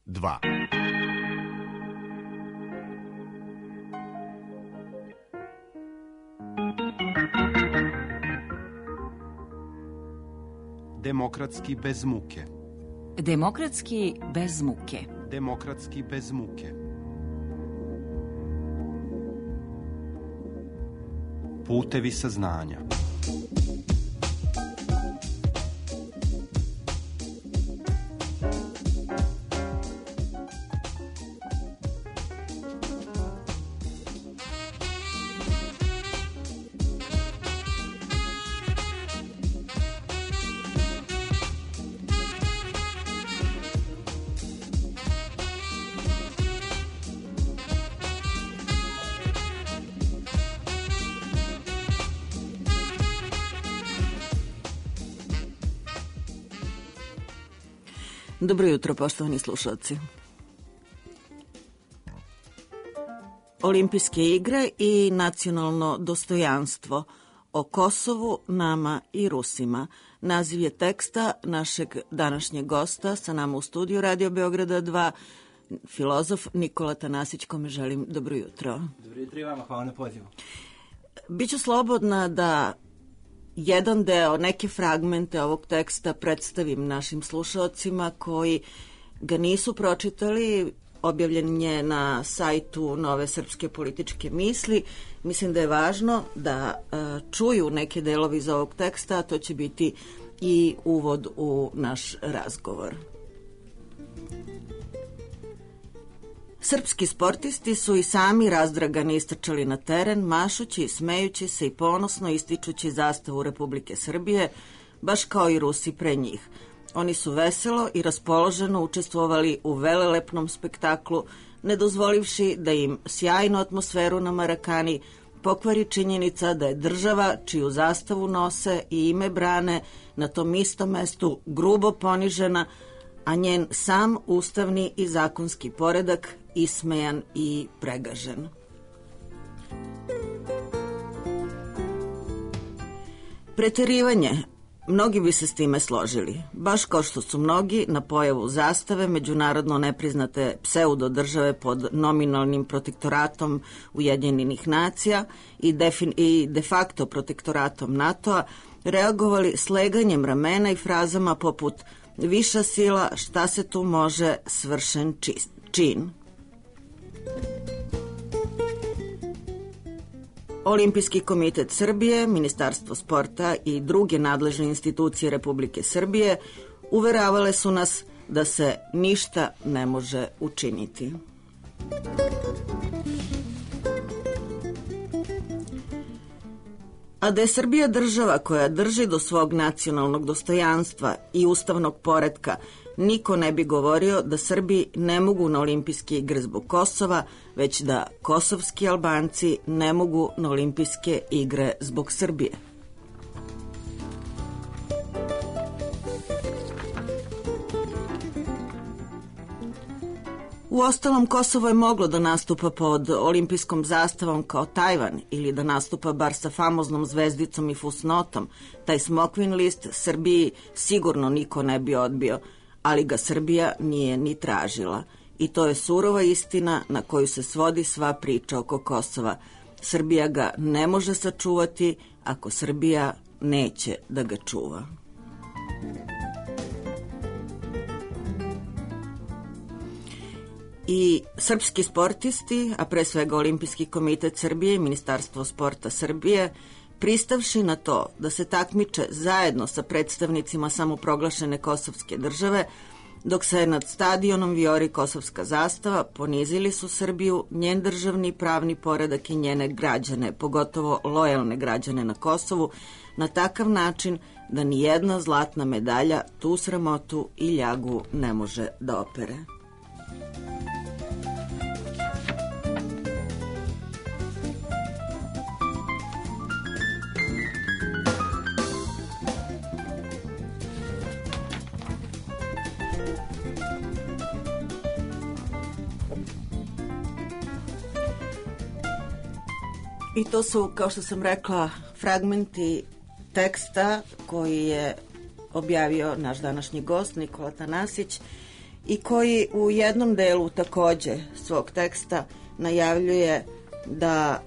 2. Demokratski bez muke. Demokratski bez muke. Demokratski bez muke. Putevi saznanja. Dobro jutro, poštovani slušalci. Olimpijske igre i nacionalno dostojanstvo o Kosovu, nama i Rusima. Naziv je teksta našeg današnjeg gosta sa nama u studiju Radio Beograda 2, filozof Nikola Tanasić, kome želim dobro jutro. Dobro jutro i vama, hvala na pozivu. Biću slobodna da jedan deo, neke fragmente ovog teksta predstavim našim slušalcima koji ga nisu pročitali. Objavljen je na sajtu Nove srpske političke misli. Mislim da je važno da čuju neke delovi iz ovog teksta, a to će biti i uvod u naš razgovor. Srpski sportisti su i sami razdragani istrčali na teren, mašući, smejući se i ponosno ističući zastavu Republike Srbije, baš kao i Rusi pre njih. Oni su veselo i raspoloženo učestvovali u velelepnom spektaklu, ne dozvolivši da im sjajnu atmosferu na Marakani pokvari činjenica da je država čiju zastavu nose i ime brane na tom istom mestu grubo ponižena, a njen sam ustavni i zakonski poredak ismejan i pregažen. Preterivanje. Mnogi bi se s time složili, baš kao što su mnogi na pojavu zastave međunarodno nepriznate pseudo države pod nominalnim protektoratom Ujedinjenih nacija i de facto protektoratom NATO-a reagovali sleganjem ramena i frazama poput viša sila, šta se tu može, svršen čin. Olimpijski komitet Srbije, Ministarstvo sporta i druge nadležne institucije Republike Srbije uveravale su nas da se ništa ne može učiniti. A da je Srbija država koja drži do svog nacionalnog dostojanstva i ustavnog poretka, niko ne bi govorio da Srbi ne mogu na olimpijske igre zbog Kosova, već da kosovski Albanci ne mogu na olimpijske igre zbog Srbije. Uostalom, Kosovo je moglo da nastupa pod olimpijskom zastavom kao Tajvan ili da nastupa bar sa famoznom zvezdicom i fusnotom. Taj smokvin list Srbiji sigurno niko ne bi odbio, ali ga Srbija nije ni tražila. I to je surova istina na koju se svodi sva priča oko Kosova. Srbija ga ne može sačuvati ako Srbija neće da ga čuva. I srpski sportisti, a pre svega Olimpijski komitet Srbije i Ministarstvo sporta Srbije, pristavši na to da se takmiče zajedno sa predstavnicima samoproglašene kosovske države, dok se nad stadionom vijori kosovska zastava, ponizili su Srbiju, njen državni pravni poredak i njene građane, pogotovo lojalne građane na Kosovu, na takav način da ni jedna zlatna medalja tu sramotu i ljagu ne može da opere. I to su, kao što sam rekla, fragmenti teksta koji je objavio naš današnji gost Nikola Tanasić i koji u jednom delu takođe svog teksta najavljuje da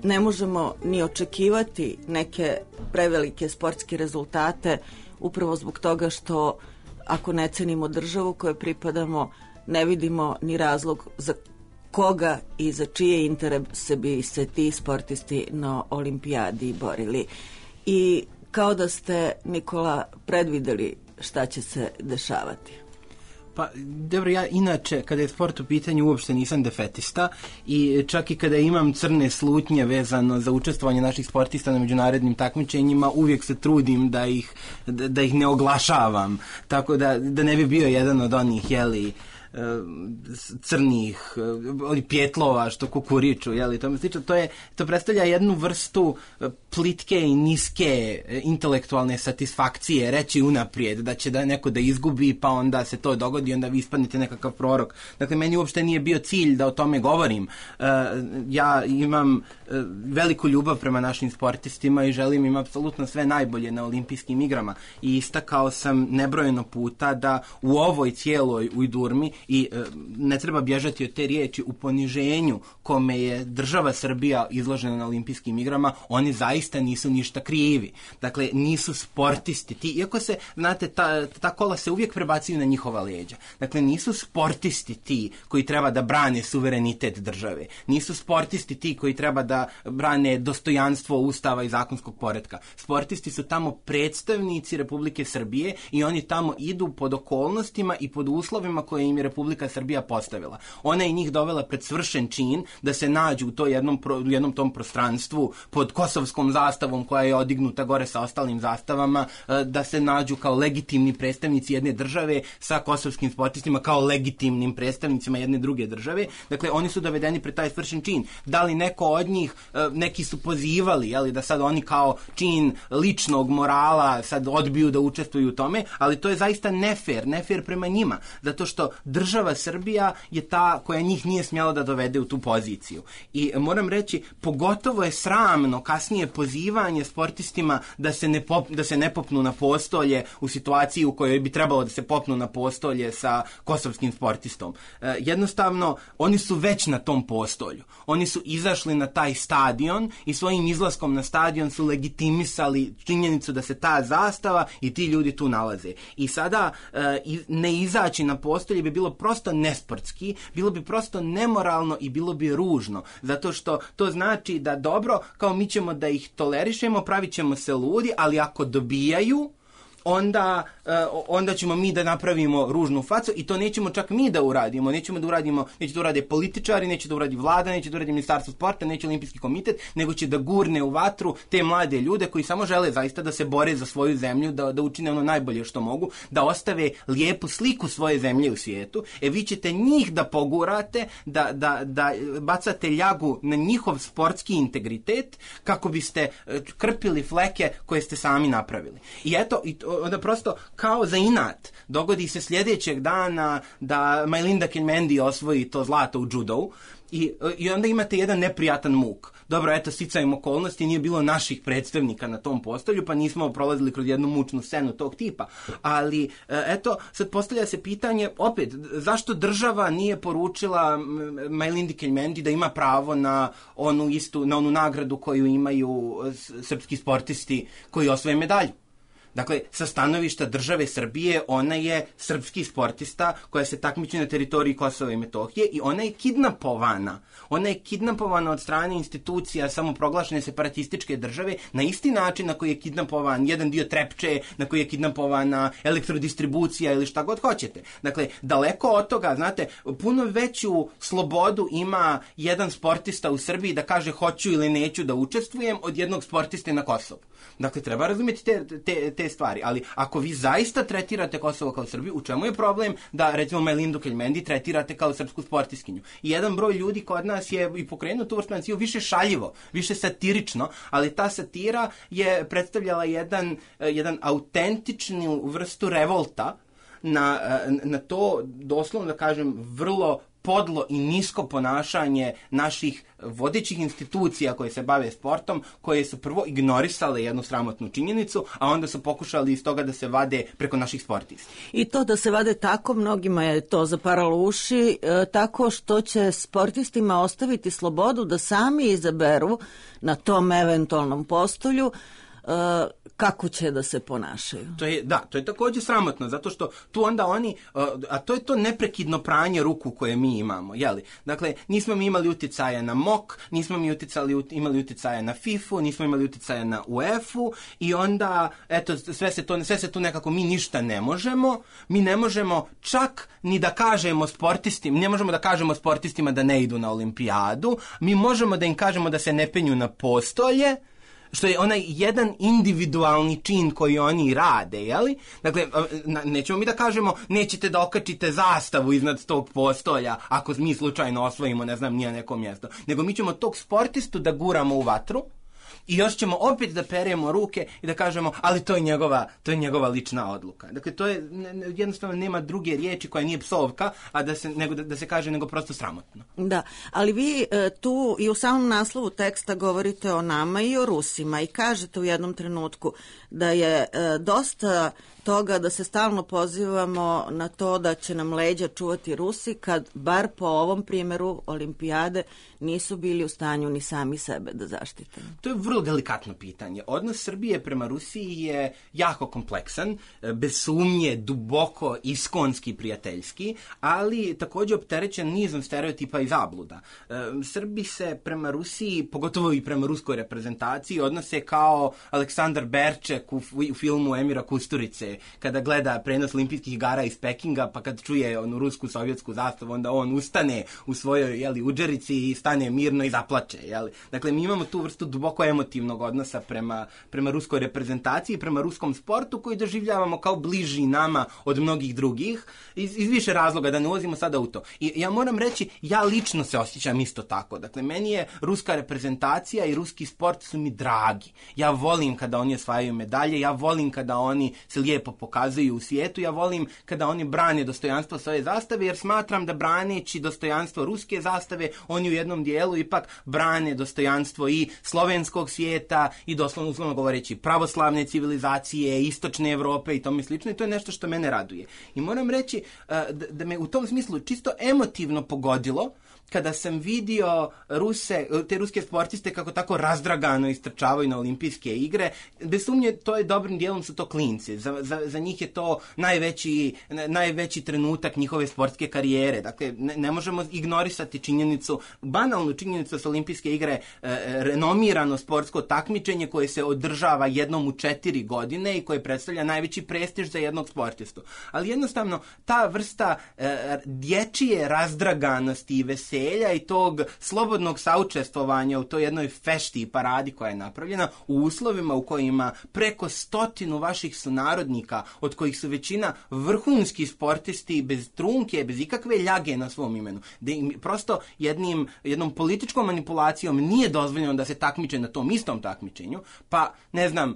ne možemo ni očekivati neke prevelike sportske rezultate upravo zbog toga što ako ne cenimo državu kojoj pripadamo, ne vidimo ni razlog za koga i za čije interese bi se ti sportisti na olimpijadi borili. I kao da ste, Nikola, predvideli šta će se dešavati. Pa, dobro, ja inače, kada je sport u pitanju, uopšte nisam defetista i čak i kada imam crne slutnje vezano za učestvovanje naših sportista na međunarodnim takmičenjima, uvijek se trudim da ih ne oglašavam, tako da ne bi bio jedan od onih, crnih pjetlova što kukuriču, to predstavlja jednu vrstu plitke i niske intelektualne satisfakcije reći unaprijed da će neko da izgubi, pa onda se to dogodi, onda vi ispadnete nekakav prorok. Dakle, meni uopšte nije bio cilj da o tome govorim. Ja imam veliku ljubav prema našim sportistima i želim im apsolutno sve najbolje na olimpijskim igrama i istakao sam nebrojeno puta da u ovoj cijeloj ujdurmi i ne treba bježati od te riječi u poniženju kome je država Srbija izložena na olimpijskim igrama, oni zaista nisu ništa krivi. Dakle, nisu sportisti. Iako se, znate, ta kola se uvijek prebacuju na njihova leđa. Dakle, nisu sportisti ti koji treba da brane suverenitet države. Nisu sportisti ti koji treba da brane dostojanstvo Ustava i zakonskog poretka. Sportisti su tamo predstavnici Republike Srbije i oni tamo idu pod okolnostima i pod uslovima koje im je Republika Srbija postavila. Ona je njih dovela pred svršen čin da se nađu u jednom tom prostranstvu pod kosovskom zastavom koja je odignuta gore sa ostalim zastavama, da se nađu kao legitimni predstavnici jedne države sa kosovskim sportistima kao legitimnim predstavnicima jedne druge države. Dakle, oni su dovedeni pred taj svršen čin. Da li neko od njih, neki su pozivali, da sad oni kao čin ličnog morala sad odbiju da učestvuju u tome, ali to je zaista nefer prema njima, zato što država Srbija je ta koja njih nije smjela da dovede u tu poziciju. I moram reći, pogotovo je sramno kasnije pozivanje sportistima da se ne popnu na postolje u situaciji u kojoj bi trebalo da se popnu na postolje sa kosovskim sportistom. Jednostavno, oni su već na tom postolju. Oni su izašli na taj stadion i svojim izlaskom na stadion su legitimisali činjenicu da se ta zastava i ti ljudi tu nalaze. I sada ne izaći na postolje bi bilo prosto nesportski, bilo bi prosto nemoralno i bilo bi ružno, zato što to znači da dobro, kao mi ćemo da ih tolerišemo, pravit ćemo se ludi, ali ako dobijaju, onda ćemo mi da napravimo ružnu facu i to nećemo čak mi da uradimo. Neće da urade političari, neće da uradi vlada, neće da uradi ministarstvo sporta, neće olimpijski komitet, nego će da gurne u vatru te mlade ljude koji samo žele zaista da se bore za svoju zemlju, da učine ono najbolje što mogu, da ostave lijepu sliku svoje zemlje u svijetu. Vi ćete njih da pogurate, da bacate ljagu na njihov sportski integritet kako biste krpili fleke koje ste sami napravili. I eto, onda prosto kao za inat dogodi se sljedećeg dana da Majlinda Kelmendi osvoji to zlato u judovu i onda imate jedan neprijatan muk. Dobro, eto, sticajem okolnosti, nije bilo naših predstavnika na tom postolju, pa nismo prolazili kroz jednu mučnu scenu tog tipa. Ali, eto, sad postavlja se pitanje, opet, zašto država nije poručila Majlindi Kelmendi da ima pravo na onu nagradu koju imaju srpski sportisti koji osvoje medalju? Dakle, sa stanovišta države Srbije, ona je srpski sportista koja se takmiči na teritoriji Kosova i Metohije i ona je kidnapovana. Ona je kidnapovana od strane institucija samoproglašene separatističke države na isti način na koji je kidnapovan jedan dio Trepče, na koji je kidnapovana elektrodistribucija ili šta god hoćete. Dakle, daleko od toga, znate, puno veću slobodu ima jedan sportista u Srbiji da kaže hoću ili neću da učestvujem od jednog sportiste na Kosovu. Dakle, treba razumjeti te stvari, ali ako vi zaista tretirate Kosovo kao Srbiju, u čemu je problem da, recimo, Majlindu Kelmendi tretirate kao srpsku sportiskinju? I jedan broj ljudi kod nas je i pokrenuo tu vrstu naciju više šaljivo, više satirično, ali ta satira je predstavljala jedan autentičnu vrstu revolta na to, doslovno da kažem, vrlo podlo i nisko ponašanje naših vodećih institucija koje se bave sportom, koje su prvo ignorisale jednu sramotnu činjenicu, a onda su pokušali iz toga da se vade preko naših sportista. I to da se vade tako, mnogima je to zaparalo uši, tako što će sportistima ostaviti slobodu da sami izaberu na tom eventualnom postolju kako će da se ponašaju. To je također sramotno, zato što tu onda oni, a to je to neprekidno pranje ruku koje mi imamo, jeli? Dakle, nismo mi imali utjecaja na MOK, nismo mi imali utjecaja na FIFA, nismo imali utjecaja na UEFA i onda, eto, sve se tu nekako, mi ništa ne možemo, mi ne možemo čak ni da kažemo sportistima, ne možemo da kažemo sportistima da ne idu na olimpijadu, mi možemo da im kažemo da se ne penju na postolje, što je onaj jedan individualni čin koji oni rade, jeli? Dakle, nećemo mi da kažemo nećete da okačite zastavu iznad tog postolja ako mi slučajno osvojimo, ne znam, nije neko mjesto. Nego mi ćemo tog sportistu da guramo u vatru i još ćemo opet da peremo ruke i da kažemo, ali to je njegova lična odluka. Dakle, to je, jednostavno nema druge riječi koja nije psovka, a da se kaže nego prosto sramotno. Da, ali vi tu i u samom naslovu teksta govorite o nama i o Rusima i kažete u jednom trenutku da je dosta toga da se stalno pozivamo na to da će nam leđa čuvati Rusi kad bar po ovom primjeru olimpijade nisu bili u stanju ni sami sebe da zaštite. To je vrlo delikatno pitanje. Odnos Srbije prema Rusiji je jako kompleksan, bez sumnje duboko iskonski prijateljski, ali također opterećen nizom stereotipa i zabluda. Srbi se prema Rusiji, pogotovo i prema ruskoj reprezentaciji, odnose kao Aleksandar Berček u filmu Emira Kusturice, kada gleda prenos olimpijskih igara iz Pekinga, pa kad čuje onu rusku sovjetsku zastavu, onda on ustane u svojoj udžerici i stane mirno i zaplače. Dakle, mi imamo tu vrstu duboko emotivnog odnosa prema ruskoj reprezentaciji, prema ruskom sportu koji doživljavamo kao bliži nama od mnogih drugih, iz više razloga, da ne ulazimo sada u to. I ja moram reći, ja lično se osjećam isto tako. Dakle, meni je ruska reprezentacija i ruski sport su mi dragi. Ja volim kada oni osvajaju medalje, ja volim kada oni se lijepo pokazuju u svijetu, ja volim kada oni brane dostojanstvo svoje zastave, jer smatram da braneći dostojanstvo ruske zastave, oni u jednom dijelu ipak brane dostojanstvo i slovenskog svijeta i doslovno uslovno govoreći pravoslavne civilizacije, istočne Europe i tome slično, i to je nešto što mene raduje. I moram reći da me u tom smislu čisto emotivno pogodilo kada sam vidio te ruske sportiste kako tako razdragano istrčavaju na olimpijske igre. Bez sumnje, to je dobrim dijelom su to klinci. Za njih je to najveći trenutak njihove sportske karijere. Dakle, ne možemo ignorisati banalnu činjenicu da su olimpijske igre renomirano sportsko takmičenje koje se održava jednom u 4 godine i koje predstavlja najveći prestiž za jednog sportistu. Ali jednostavno, ta vrsta dječje razdraganosti i veselja i tog slobodnog saučestvovanja u toj jednoj fešti i paradi koja je napravljena u uslovima u kojima preko 100 vaših sunarodnika, od kojih su većina vrhunski sportisti bez trunke, bez ikakve ljage na svom imenu, da im prosto jednom političkom manipulacijom nije dozvoljeno da se takmiče na tom istom takmičenju, pa ne znam,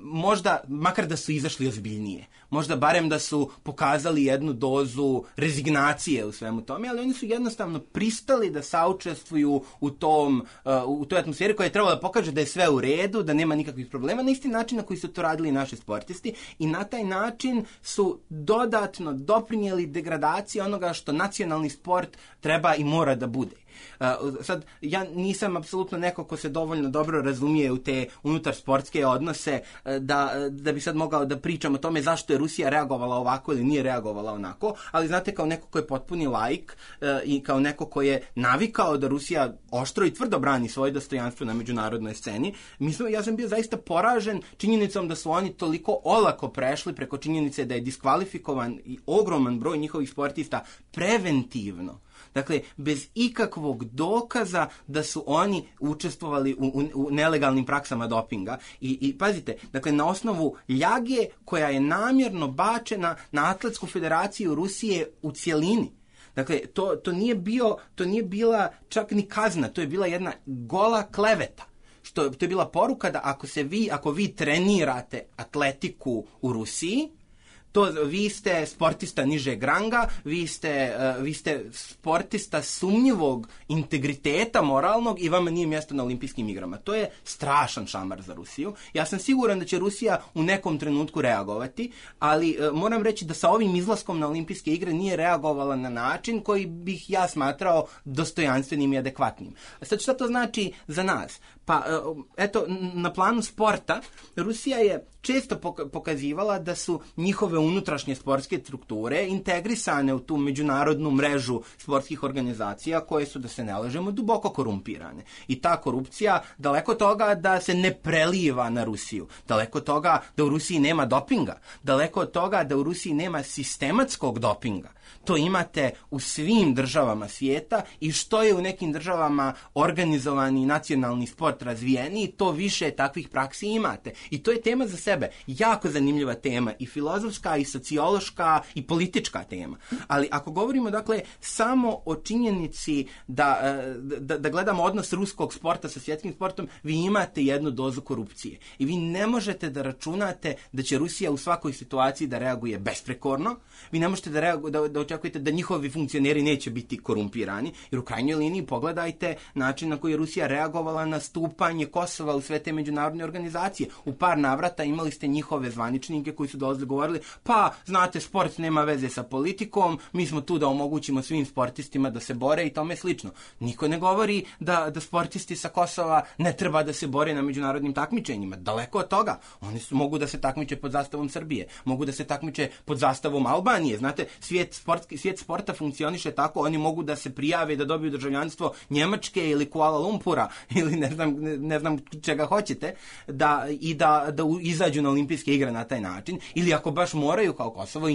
možda makar da su izašli ozbiljnije, možda barem da su pokazali jednu dozu rezignacije u svemu tome, ali oni su jednostavno pristali da saučestvuju u toj atmosferi koja je trebala da pokaže da je sve u redu, da nema nikakvih problema, na isti način na koji su to radili naši sportisti, i na taj način su dodatno doprinijeli degradaciji onoga što nacionalni sport treba i mora da bude. Sad, ja nisam apsolutno neko ko se dovoljno dobro razumije u te unutar sportske odnose da bi sad mogao da pričam o tome zašto je Rusija reagovala ovako ili nije reagovala onako, ali znate, kao neko ko je potpuni laik i kao neko ko je navikao da Rusija oštro i tvrdo brani svoje dostojanstvo na međunarodnoj sceni, ja sam bio zaista poražen činjenicom da su oni toliko olako prešli preko činjenice da je diskvalifikovan i ogroman broj njihovih sportista preventivno. Dakle, bez ikakvog dokaza da su oni učestvovali u nelegalnim praksama dopinga. I pazite, dakle, na osnovu ljage koja je namjerno bačena na Atletsku federaciju Rusije u cjelini. Dakle, to nije bila čak ni kazna, to je bila jedna gola kleveta. To je bila poruka da ako vi trenirate atletiku u Rusiji, vi ste sportista nižeg ranga, vi ste sportista sumnjivog integriteta moralnog i vama nije mjesto na olimpijskim igrama. To je strašan šamar za Rusiju. Ja sam siguran da će Rusija u nekom trenutku reagovati, ali moram reći da sa ovim izlaskom na olimpijske igre nije reagovala na način koji bih ja smatrao dostojanstvenim i adekvatnim. Sad šta to znači za nas? Pa eto, na planu sporta Rusija je često pokazivala da su njihove unutrašnje sportske strukture integrisane u tu međunarodnu mrežu sportskih organizacija koje su, da se ne lažemo, duboko korumpirane. I ta korupcija, daleko toga da se ne preliva na Rusiju, daleko toga da u Rusiji nema dopinga, daleko od toga da u Rusiji nema sistematskog dopinga. To imate u svim državama svijeta i što je u nekim državama organizovani nacionalni sport razvijeniji, to više takvih praksi imate. I to je tema za sebe. Jako zanimljiva tema, i filozofska, i sociološka, i politička tema. Ali ako govorimo, dakle, samo o činjenici da gledamo odnos ruskog sporta sa svjetskim sportom, vi imate jednu dozu korupcije. I vi ne možete da računate da će Rusija u svakoj situaciji da reaguje besprekorno. Vi ne možete da očekujete da njihovi funkcioneri neće biti korumpirani, jer u krajnjoj liniji pogledajte način na koji je Rusija reagovala na stupanje Kosova u sve te međunarodne organizacije. U par navrata imali ste njihove zvaničnike koji su dolazili govorili, pa znate, sport nema veze sa politikom, mi smo tu da omogućimo svim sportistima da se bore i tome slično. Niko ne govori da sportisti sa Kosova ne treba da se bore na međunarodnim takmičenjima. Daleko od toga. Oni mogu da se takmiče pod zastavom Srbije, mogu da se takmiče pod zastavom Albanije. Znate, svijet sporta funkcioniše tako, oni mogu da se prijave da dobiju državljanstvo Njemačke ili Kuala Lumpura ili ne znam čega hoćete, da izađu na olimpijske igre na taj način, ili ako baš moraju kao Kosovo,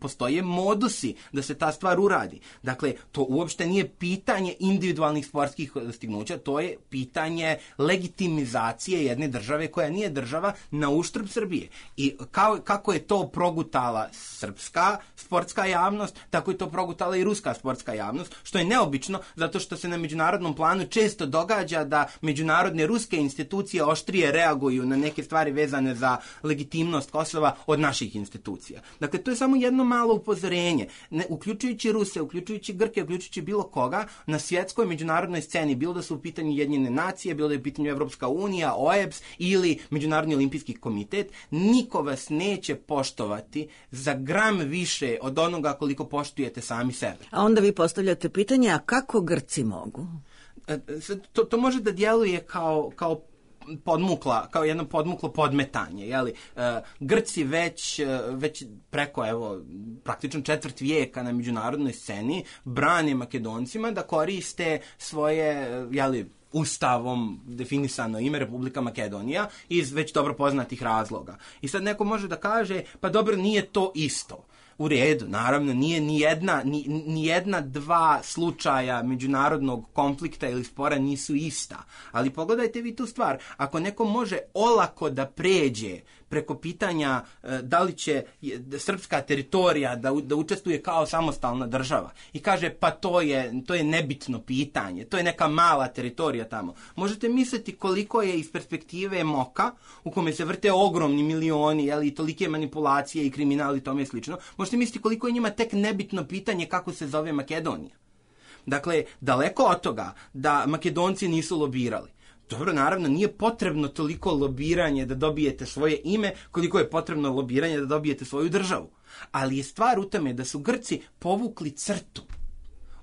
postoje modusi da se ta stvar uradi. Dakle, to uopšte nije pitanje individualnih sportskih dostignuća, to je pitanje legitimizacije jedne države koja nije država na uštrb Srbije. I kako je to progutala srpska sportska javnost, tako je to progutala i ruska sportska javnost, što je neobično, zato što se na međunarodnom planu često događa da međunarodne ruske institucije oštrije reaguju na neke stvari vezane za legitimnost Kosova od naših institucija. Dakle, to je samo jedno malo upozorenje. Uključujući Ruse, uključujući Grke, uključujući bilo koga, na svjetskoj međunarodnoj sceni, bilo da su u pitanju Ujedinjene nacije, bilo da je u pitanju Evropska unija, OEBS ili Međunarodni olimpijski komitet, niko vas neće poštovati za gram više od onoga koliko poštujete sami sebe. A onda vi postavljate pitanje, a kako Grci mogu? To može da djeluje kao jedno podmuklo podmetanje, jeli? Grci već preko, praktično četvrt vijeka na međunarodnoj sceni brane Makedoncima da koriste svoje, Ustavom definisano ime Republika Makedonija iz već dobro poznatih razloga. I sad neko može da kaže, pa dobro, nije to isto. U redu, naravno, nije ni jedna dva slučaja međunarodnog konflikta ili spora nisu ista. Ali pogledajte vi tu stvar. Ako neko može olako da pređe preko pitanja da li će srpska teritorija da učestvuje kao samostalna država i kaže, pa to je nebitno pitanje, to je neka mala teritorija tamo. Možete misliti koliko je iz perspektive Moka, u kome se vrte ogromni milioni, i tolike manipulacije i kriminal i tome slično, možete misliti koliko je njima tek nebitno pitanje kako se zove Makedonija. Dakle, daleko od toga da Makedonci nisu lobirali. Dobro, naravno, nije potrebno toliko lobiranje da dobijete svoje ime, koliko je potrebno lobiranje da dobijete svoju državu. Ali je stvar u tome da su Grci povukli crtu.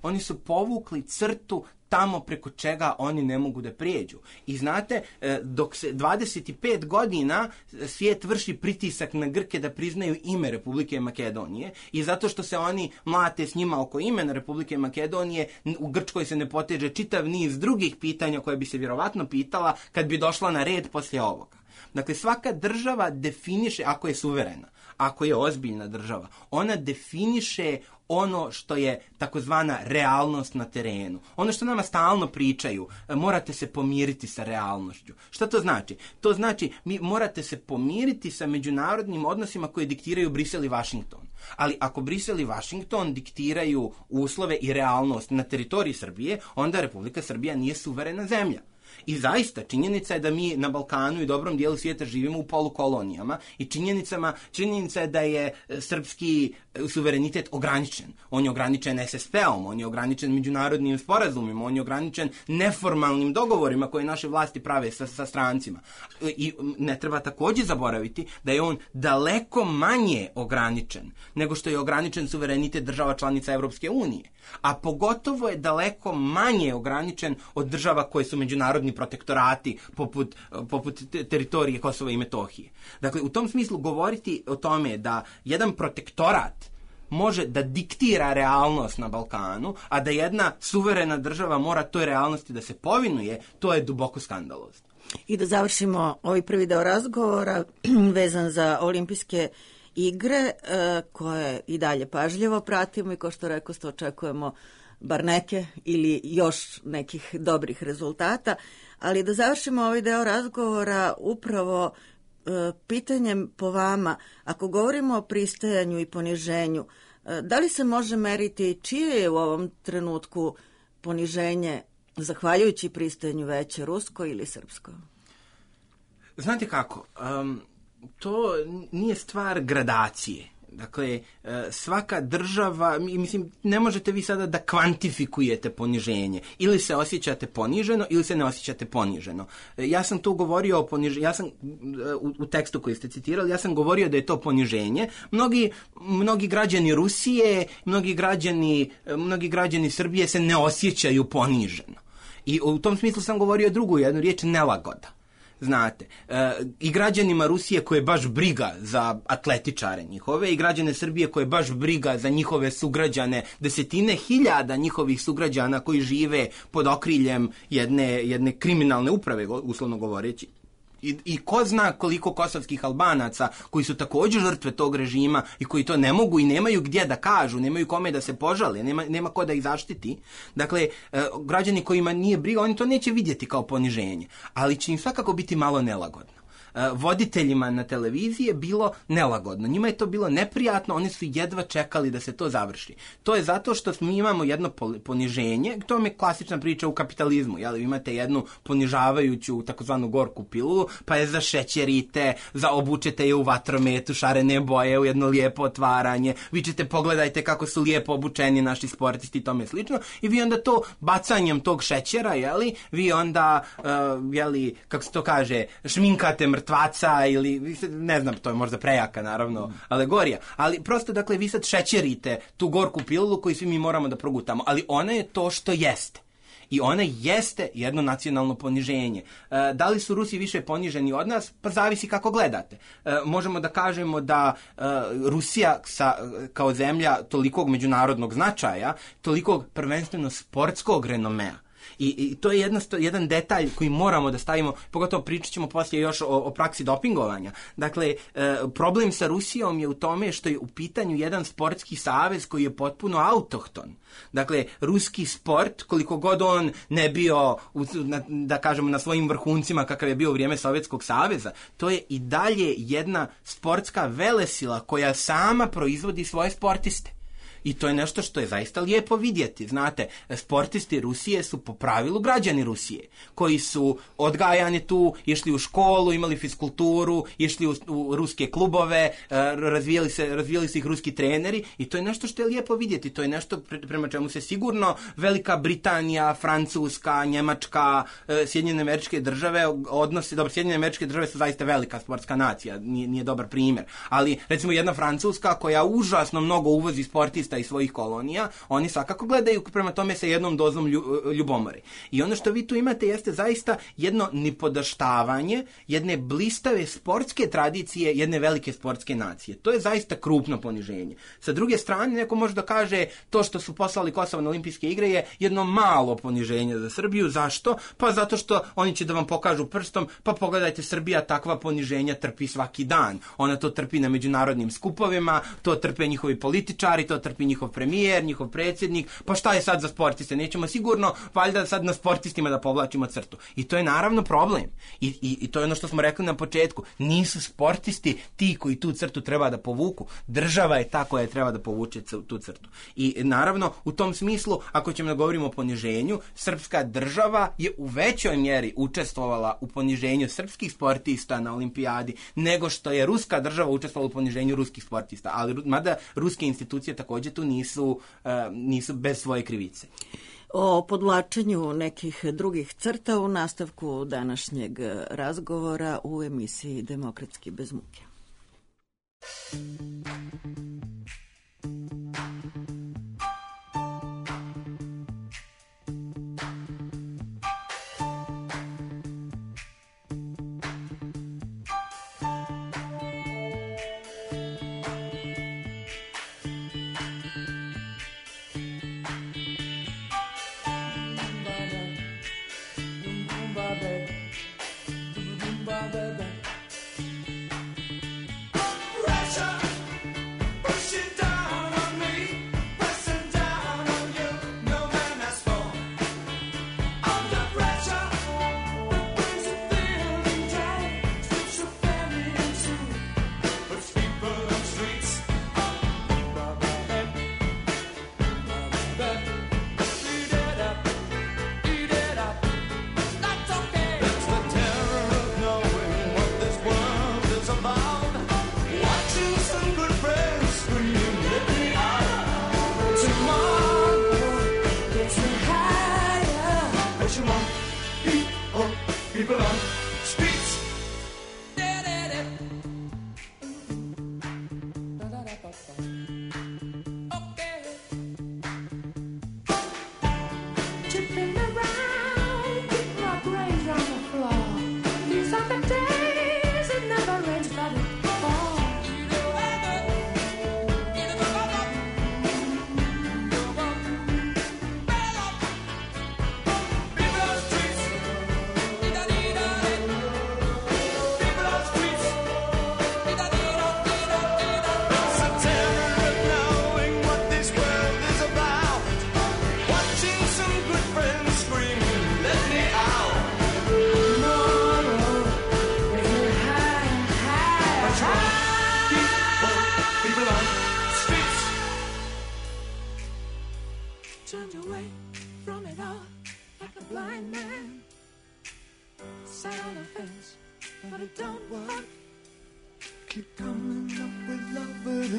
Oni su povukli crtu tamo preko čega oni ne mogu da prijeđu. I znate, dok se 25 godina svijet vrši pritisak na Grke da priznaju ime Republike Makedonije i zato što se oni mlate s njima oko imena Republike Makedonije, u Grčkoj se ne poteže čitav niz drugih pitanja koje bi se vjerovatno pitala kad bi došla na red poslije ovoga. Dakle, svaka država definiše, ako je suverena, ako je ozbiljna država, ona definiše ono što je takozvana realnost na terenu. Ono što nama stalno pričaju, morate se pomiriti sa realnošću. Šta to znači? To znači, morate se pomiriti sa međunarodnim odnosima koje diktiraju Brisel i Vašington. Ali ako Brisel i Vašington diktiraju uslove i realnost na teritoriji Srbije, onda Republika Srbija nije suverena zemlja. I zaista, činjenica je da mi na Balkanu i dobrom dijelu svijeta živimo u polukolonijama i činjenica je da je srpski suverenitet ograničen. On je ograničen SSP-om, on je ograničen međunarodnim sporazumima, on je ograničen neformalnim dogovorima koje naše vlasti prave sa strancima. I ne treba također zaboraviti da je on daleko manje ograničen nego što je ograničen suverenitet država članica Evropske unije. A pogotovo je daleko manje ograničen od država koje su međunarodni protektorati poput teritorije Kosova i Metohije. Dakle, u tom smislu govoriti o tome da jedan protektorat može da diktira realnost na Balkanu, a da jedna suverena država mora toj realnosti da se povinuje, to je duboko skandalozno. I da završimo ovaj prvi deo razgovora vezan za olimpijske igre koje i dalje pažljivo pratimo i kao što rekoste očekujemo bar neke ili još nekih dobrih rezultata, ali da završimo ovaj deo razgovora upravo pitanjem po vama, ako govorimo o pristajanju i poniženju, da li se može meriti čije je u ovom trenutku poniženje zahvaljujući pristajanju veće, rusko ili srpsko? Znate kako, to nije stvar gradacije. Dakle, svaka država, mislim, ne možete vi sada da kvantifikujete poniženje. Ili se osjećate poniženo, ili se ne osjećate poniženo. Ja sam tu govorio o poniženju, u tekstu koji ste citirali, ja sam govorio da je to poniženje. Mnogi građani Rusije, mnogi građani Srbije se ne osjećaju poniženo. I u tom smislu sam govorio drugu jednu riječ, nelagoda. Znate, i građanima Rusije koje baš briga za atletičare njihove i građane Srbije koje baš briga za njihove sugrađane, desetine hiljada njihovih sugrađana koji žive pod okriljem jedne kriminalne uprave, uslovno govoreći. I ko zna koliko kosovskih Albanaca koji su također žrtve tog režima i koji to ne mogu i nemaju gdje da kažu, nemaju kome da se požale, nema ko da ih zaštiti. Dakle, građani kojima nije briga, oni to neće vidjeti kao poniženje, ali će im svakako biti malo nelagodno. Voditeljima na televiziji je bilo nelagodno. Njima je to bilo neprijatno, oni su jedva čekali da se to završi. To je zato što mi imamo jedno poniženje, to je klasična priča u kapitalizmu, jel? Imate jednu ponižavajuću takozvanu gorku pilulu, pa je zašećerite, obučete je u vatrometu, šarene boje, u jedno lijepo otvaranje, vi ćete pogledajte kako su lijepo obučeni naši sportisti i tome slično, i vi onda to bacanjem tog šećera, jeli, vi onda, kako se to kaže, šminkate mrtvaca ili, ne znam, to je možda prejaka, naravno, alegorija, ali prosto, dakle, vi sad šećerite tu gorku pilulu koju svi mi moramo da progutamo, ali ona je to što jeste. I ona jeste jedno nacionalno poniženje. Da li su Rusi više poniženi od nas? Pa zavisi kako gledate. Možemo da kažemo da Rusija kao zemlja tolikog međunarodnog značaja, tolikog prvenstveno sportskog renomea, I to je jedan detalj koji moramo da stavimo, pogotovo pričat ćemo poslije još o praksi dopingovanja. Dakle, problem sa Rusijom je u tome što je u pitanju jedan sportski savez koji je potpuno autohton. Dakle, ruski sport, koliko god on ne bio, da kažemo, na svojim vrhuncima kakav je bio u vrijeme Sovjetskog saveza, to je i dalje jedna sportska velesila koja sama proizvodi svoje sportiste. I to je nešto što je zaista lijepo vidjeti. Znate, sportisti Rusije su po pravilu građani Rusije, koji su odgajani tu, išli u školu, imali fiskulturu, išli u ruske klubove, razvijali se ih ruski treneri, i to je nešto što je lijepo vidjeti. To je nešto prema čemu se sigurno Velika Britanija, Francuska, Njemačka, Sjedinjene Američke Države odnose. Dobro, Sjedinjene Američke Države su zaista velika sportska nacija, nije dobar primjer. Ali, recimo, jedna Francuska koja užasno mnogo uvozi sportista iz svojih kolonija, oni svakako gledaju prema tome sa jednom dozom ljubomore. I ono što vi tu imate jeste zaista jedno nipodaštavanje jedne blistave sportske tradicije jedne velike sportske nacije. To je zaista krupno poniženje. Sa druge strane, neko može da kaže to što su poslali Kosovo na olimpijske igre je jedno malo poniženje za Srbiju. Zašto? Pa zato što oni će da vam pokažu prstom, pa pogledajte, Srbija takva poniženja trpi svaki dan. Ona to trpi na međunarodnim skupovima, to trpe njihovi političari, to trpi Srbiji njihov premijer, njihov predsjednik, pa šta je sad za sportiste? Nećemo sigurno valjda sad na sportistima da povlačimo crtu. I to je naravno problem. I to je ono što smo rekli na početku. Nisu sportisti ti koji tu crtu treba da povuku. Država je ta koja treba da povuče tu crtu. I naravno, u tom smislu, ako ćemo da govorimo o poniženju, srpska država je u većoj mjeri učestvovala u poniženju srpskih sportista na olimpijadi nego što je ruska država učestvovala u poniženju ruskih sportista. Ali mada ruske institucije također tu nisu bez svoje krivice. O podvlačenju nekih drugih crta u nastavku današnjeg razgovora u emisiji Demokratski bez muke.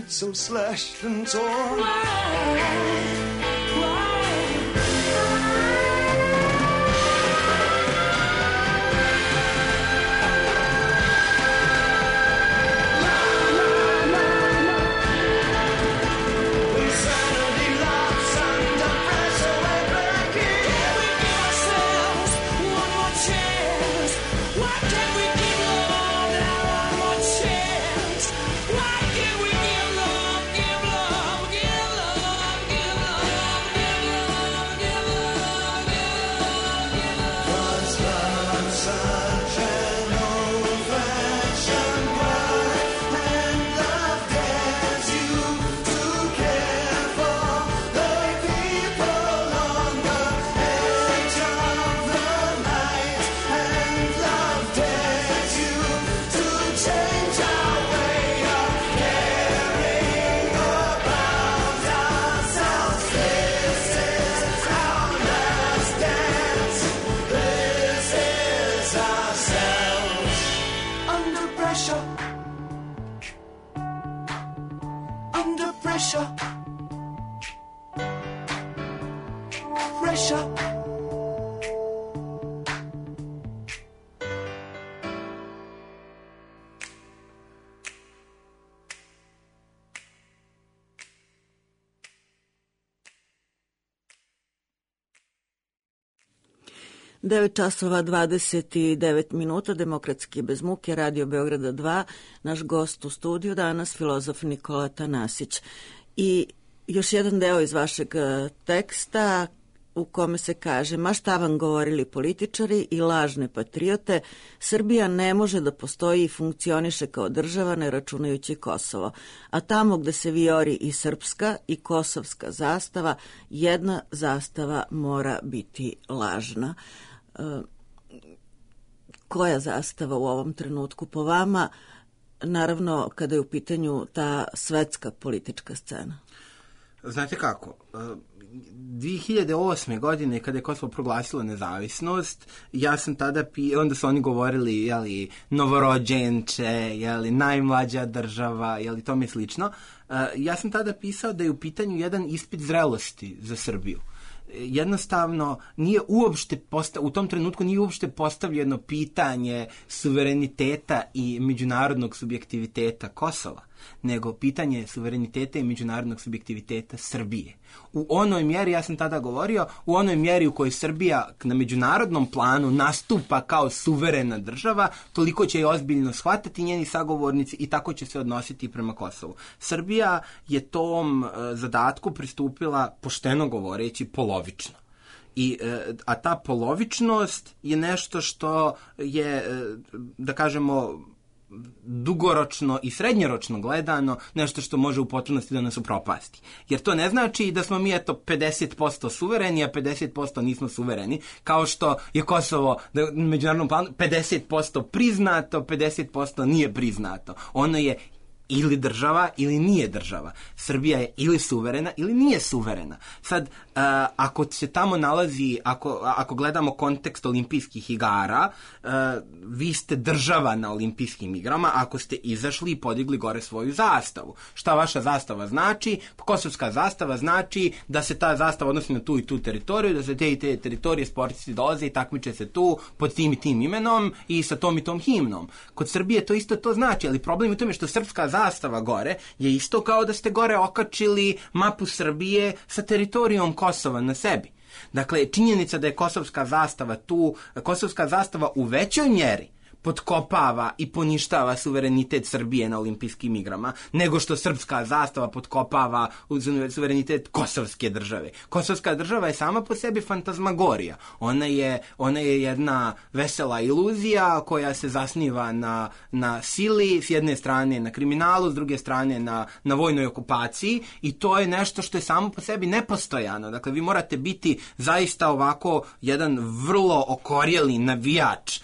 So slashed and torn. Devet časova 29 minuta, Demokratski bez muke, Radio Beograda 2, naš gost u studiju danas, filozof Nikola Tanasić. I još jedan deo iz vašeg teksta u kome se kaže: ma šta vam govorili političari i lažne patriote, Srbija ne može da postoji i funkcioniše kao država ne računajući Kosovo. A tamo gde se vijori i srpska i kosovska zastava, jedna zastava mora biti lažna. Koja zastava u ovom trenutku po vama, naravno kada je u pitanju ta svetska politička scena? Znate kako, 2008. godine kada je Kosovo proglasilo nezavisnost, ja sam tada onda su oni govorili, jeli, novorođenče, jeli, najmlađa država, jeli, tome slično. Ja sam tada pisao da je u pitanju jedan ispit zrelosti za Srbiju. Jednostavno nije uopšte u tom trenutku nije uopšte postavljeno pitanje suvereniteta i međunarodnog subjektiviteta Kosova, nego pitanje suvereniteta i međunarodnog subjektiviteta Srbije. U onoj mjeri, ja sam tada govorio, u onoj mjeri u kojoj Srbija na međunarodnom planu nastupa kao suverena država, toliko će je ozbiljno shvatiti njeni sagovornici i tako će se odnositi prema Kosovu. Srbija je tom zadatku pristupila, pošteno govoreći, polovično. A ta polovičnost je nešto što je, da kažemo, dugoročno i srednjoročno gledano nešto što može u potpunosti da nas upropasti. Jer to ne znači da smo mi 50% suvereni, a 50% nismo suvereni, kao što je Kosovo na međunarodnom planu 50% priznato, 50% nije priznato. Ono je ili država ili nije država. Srbija je ili suverena ili nije suverena. Sad, ako se tamo nalazi, ako gledamo kontekst olimpijskih igara, vi ste država na olimpijskim igrama ako ste izašli i podigli gore svoju zastavu. Šta vaša zastava znači? Kosovska zastava znači da se ta zastava odnosi na tu i tu teritoriju, da se te i te teritorije sportisti dolaze i takmiče se tu pod tim i tim imenom i sa tom i tom himnom. Kod Srbije to isto to znači, ali problem je u tome što srpska zastava gore je isto kao da ste gore okačili mapu Srbije sa teritorijom Kosova na sebi. Dakle, činjenica da je kosovska zastava tu, kosovska zastava u većoj mjeri potkopava i poništava suverenitet Srbije na olimpijskim igrama, nego što srpska zastava potkopava suverenitet kosovske države. Kosovska država je sama po sebi fantazmagorija. Ona je jedna vesela iluzija koja se zasniva na sili, s jedne strane na kriminalu, s druge strane na vojnoj okupaciji, i to je nešto što je samo po sebi nepostojano. Dakle, vi morate biti zaista ovako jedan vrlo okorjeli navijač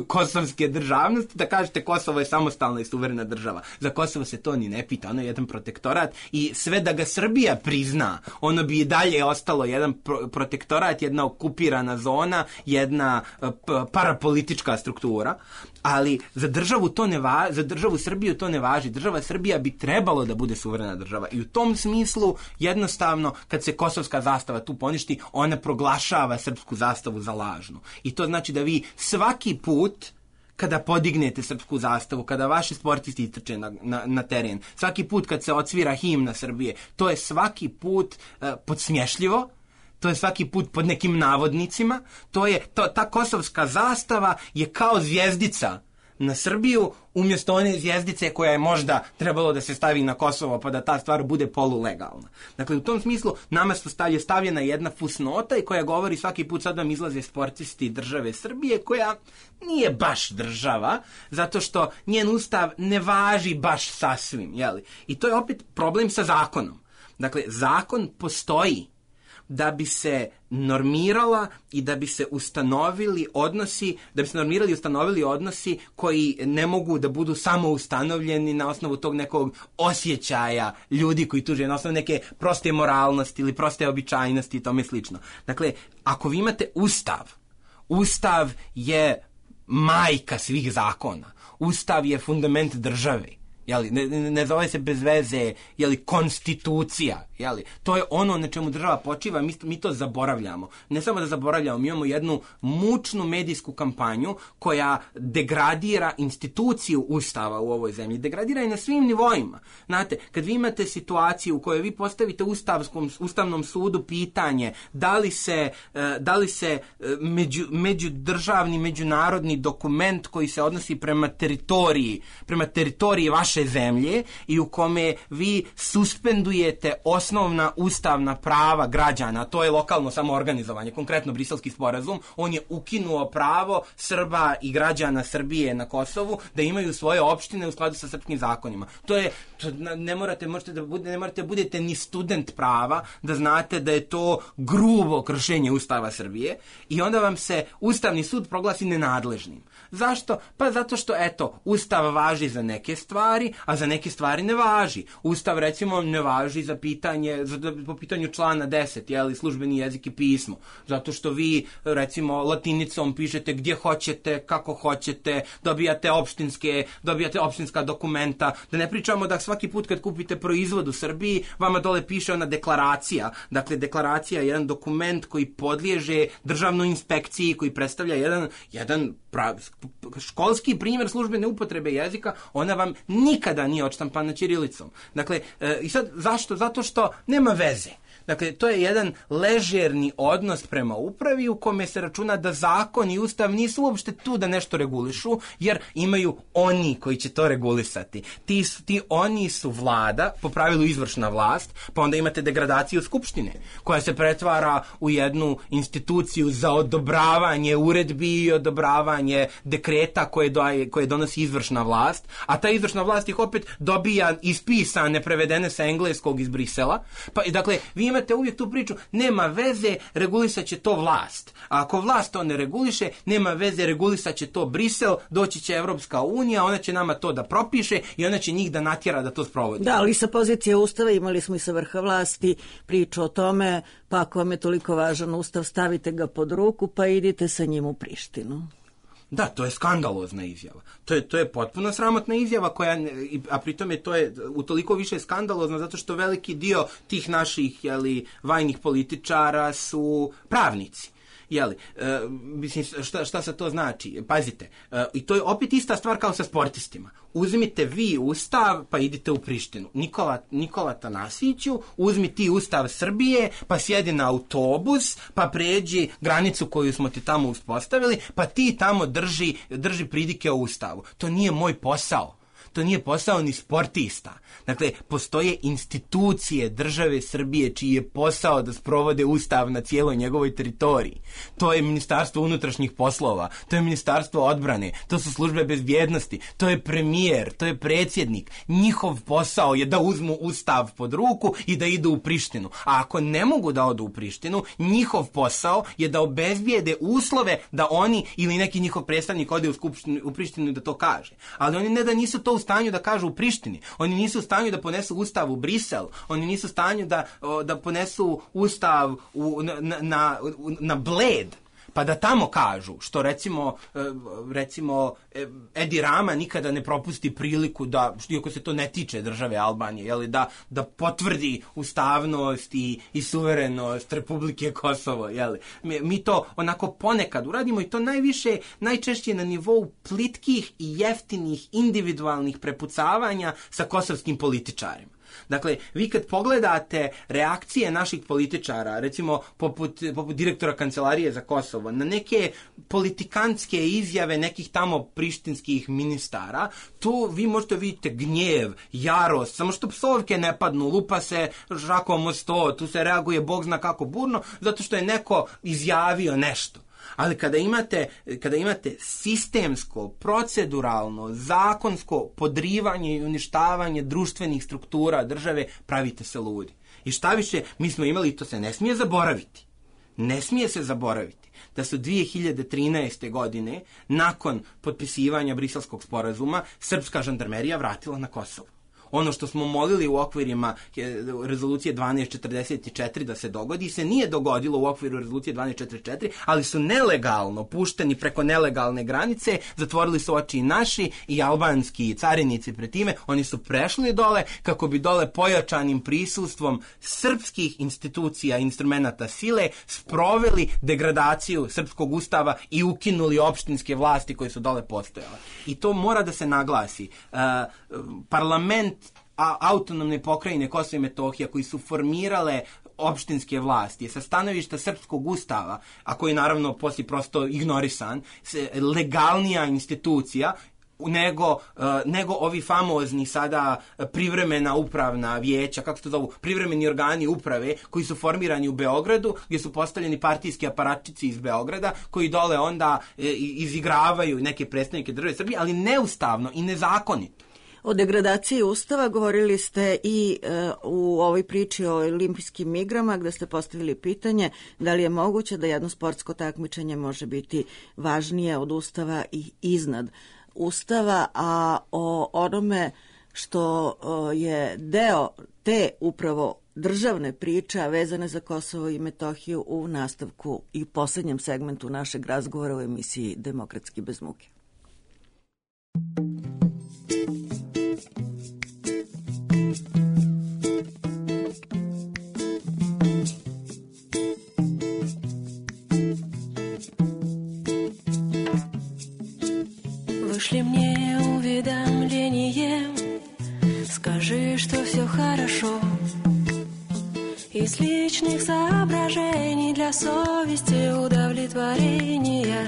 kosovske državnosti, da kažete Kosovo je samostalna i suverena država. Za Kosovo se to ni ne pita, ono je jedan protektorat i sve da ga Srbija prizna, ono bi i dalje ostalo jedan protektorat, jedna okupirana zona, jedna parapolitička struktura, ali za državu to ne važi, za državu Srbiju to ne važi. Država Srbija bi trebalo da bude suverena država i u tom smislu jednostavno kad se kosovska zastava tu poništi, ona proglašava srpsku zastavu za lažnu. I to znači da vi svaki put kada podignete srpsku zastavu, kada vaši sportisti istrče na teren, svaki put kad se odsvira himna Srbije, to je svaki put podsmješljivo, to je svaki put pod nekim navodnicima, ta kosovska zastava je kao zvjezdica na Srbiju, umjesto one zvjezdice koja je možda trebalo da se stavi na Kosovo pa da ta stvar bude polulegalna. Dakle, u tom smislu nama je stavljena jedna fusnota i koja govori svaki put sad vam izlaze sportisti države Srbije, koja nije baš država, zato što njen ustav ne važi baš sasvim, jeli? I to je opet problem sa zakonom. Dakle, zakon postoji da bi se normirala i da bi se ustanovili odnosi koji ne mogu da budu samo ustanovljeni na osnovu tog nekog osjećaja ljudi koji tu žive, na osnovu neke proste moralnosti ili proste običajnosti i tome slično. Dakle, ako vi imate Ustav je majka svih zakona. Ustav je fundament države. Jeli, ne zove se bez veze, konstitucija, to je ono na čemu država počiva, mi to zaboravljamo. Ne samo da zaboravljamo, mi imamo jednu mučnu medijsku kampanju koja degradira instituciju Ustava u ovoj zemlji, degradira i na svim nivoima. Znate, kad vi imate situaciju u kojoj vi postavite Ustavnom sudu pitanje da li se međudržavni, međunarodni dokument koji se odnosi prema teritoriji vaše naše zemlje i u kome vi suspendujete osnovna ustavna prava građana, to je lokalno samoorganizovanje, konkretno Briselski sporazum, on je ukinuo pravo Srba i građana Srbije na Kosovu da imaju svoje opštine u skladu sa srpskim zakonima. Ne morate da budete ni student prava da znate da je to grubo kršenje Ustava Srbije i onda vam se Ustavni sud proglasi nenadležnim. Zašto? Pa zato što, Ustav važi za neke stvari, a za neke stvari ne važi. Ustav, recimo, ne važi po pitanju člana 10, službeni jezik i pismo. Zato što vi, recimo, latinicom pišete gdje hoćete, kako hoćete, dobijate opštinska dokumenta. Da ne pričamo da svaki put kad kupite proizvod u Srbiji, vama dole piše ona deklaracija. Dakle, deklaracija je jedan dokument koji podliježe državnoj inspekciji, koji predstavlja jedan školski primjer službene upotrebe jezika, ona vam nikada nije odštampana ćirilicom. Dakle, i sad zašto? Zato što nema veze. Dakle, to je jedan ležerni odnos prema upravi u kome se računa da zakon i ustav nisu uopšte tu da nešto regulišu, jer imaju oni koji će to regulisati. Ti oni su vlada, po pravilu izvršna vlast, pa onda imate degradaciju skupštine, koja se pretvara u jednu instituciju za odobravanje uredbi i odobravanje dekreta koje donosi izvršna vlast, a ta izvršna vlast ih opet dobija ispisane, prevedene sa engleskog iz Brisela. Pa, dakle, vi imate uvijek tu priču, nema veze, regulisat će to vlast. A ako vlast to ne reguliše, nema veze, regulisat će to Brisel, doći će Evropska unija, ona će nama to da propiše i ona će njih da natjera da to sprovodi. Da, ali sa pozicije ustava imali smo i sa vrha vlasti priču o tome, pa ako vam je toliko važan ustav, stavite ga pod ruku pa idite sa njim u Prištinu. Da, to je skandalozna izjava. To je potpuno sramotna izjava a pritom je to utoliko više skandalozno zato što veliki dio tih naših vajnih političara su pravnici. Mislim, šta se to znači? Pazite, i to je opet ista stvar kao sa sportistima. Uzmite vi ustav, pa idite u Prištinu. Nikola Tanasiću, uzmi ti ustav Srbije, pa sjedi na autobus, pa pređi granicu koju smo ti tamo uspostavili, pa ti tamo drži pridike o ustavu. To nije moj posao. To nije posao ni sportista. Dakle, postoje institucije države Srbije čiji je posao da sprovode ustav na cijeloj njegovoj teritoriji. To je Ministarstvo unutrašnjih poslova, to je Ministarstvo odbrane, to su službe bezbjednosti, to je premijer, to je predsjednik. Njihov posao je da uzmu ustav pod ruku i da idu u Prištinu. A ako ne mogu da odu u Prištinu, njihov posao je da obezbijede uslove da oni ili neki njihov predstavnik ode u Prištinu i da to kaže. Ali oni ne da nisu to u stanju da kažu u Prištini. Oni nisu u stanju da ponesu ustav u Brisel. Oni nisu u stanju da ponesu ustav na Bled. Pa da tamo kažu, što recimo Edi Rama nikada ne propusti priliku da, iako se to ne tiče države Albanije, da potvrdi ustavnost i suverenost Republike Kosovo. Mi to onako ponekad uradimo i to najčešće na nivou plitkih i jeftinih individualnih prepucavanja sa kosovskim političarima. Dakle, vi kad pogledate reakcije naših političara, recimo poput direktora Kancelarije za Kosovo, na neke politikantske izjave nekih tamo prištinskih ministara, tu vi možete vidjeti gnjev, jarost, samo što psovke ne padnu, lupa se žakom o sto, tu se reaguje Bog zna kako burno, zato što je neko izjavio nešto. Ali kada imate sistemsko, proceduralno, zakonsko podrivanje i uništavanje društvenih struktura države, pravite se ludi. I šta više, mi smo imali, to se ne smije zaboraviti. Ne smije se zaboraviti da su 2013. godine, nakon potpisivanja Briselskog sporazuma, srpska žandarmerija vratila na Kosovo. Ono što smo molili u okvirima rezolucije 1244 da se dogodi, se nije dogodilo u okviru rezolucije 1244, ali su nelegalno pušteni preko nelegalne granice, zatvorili su oči i naši i albanski carinici pred time, oni su prešli dole kako bi dole pojačanim prisustvom srpskih institucija i instrumenata sile sproveli degradaciju srpskog ustava i ukinuli opštinske vlasti koje su dole postojale. I to mora da se naglasi. Parlament autonomne pokrajine Kosovo i Metohija koji su formirale opštinske vlasti sa stanovišta srpskog ustava, a koji naravno poslije prosto ignorisan, legalnija institucija, nego ovi famozni sada privremena upravna vijeća, kako se to zovu, privremeni organi uprave koji su formirani u Beogradu, gdje su postavljeni partijski aparatčici iz Beograda, koji dole onda izigravaju neke predstavnike države Srbije, ali neustavno i nezakonito. O degradaciji Ustava govorili ste i u ovoj priči o olimpijskim igrama, gde ste postavili pitanje da li je moguće da jedno sportsko takmičenje može biti važnije od Ustava i iznad Ustava, a o onome što je deo te upravo državne priče vezane za Kosovo i Metohiju u nastavku i poslednjem segmentu našeg razgovora u emisiji Demokratski bez muke. Вышли мне уведомление, скажи, что все хорошо. Из личных соображений для совести удовлетворения.